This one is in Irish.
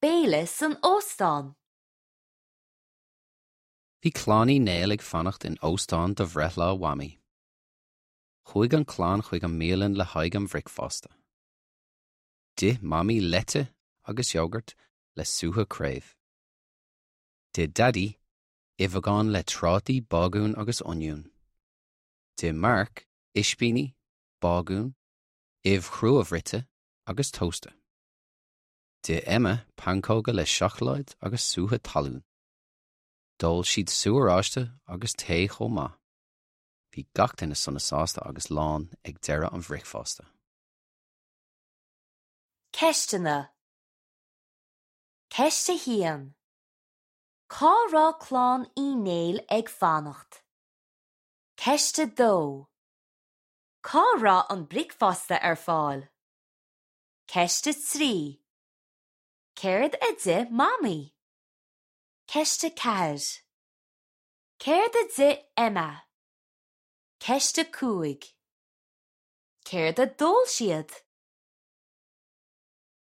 béile san óstán? Bhí Clann Uí Néill ag fanacht in óstán do bhreithlá Mhamaí. Chuaigh an chlann chuig an mbialann le haghaidh an bhricfeasta. D'ith Mamaí leite agus iógart le sútha craobh. D'ith Daidí uibheagán le trátaí, bágún agus oinniún. D'ith Mark ispíní, bágún, ubh chrua-bhruite agus tósta. D'ith Emma pancóga le seacláid agus sútha talún. D'ól siad sú oráiste agus tae chomh maith. Bhí gach duine sona sásta agus lán ag deireadh an bhricfeasta. Ceisteanna Ceist 1. Cá raibh clann Uí Néill ag fanacht? Ceist 2. Cá raibh an bricfeasta ar fáil? Ceist 3. Céard a d'ith Mamaí? Ceist 4. Céard a d'ith Emma? Ceist 5. Céard a d'ól siad?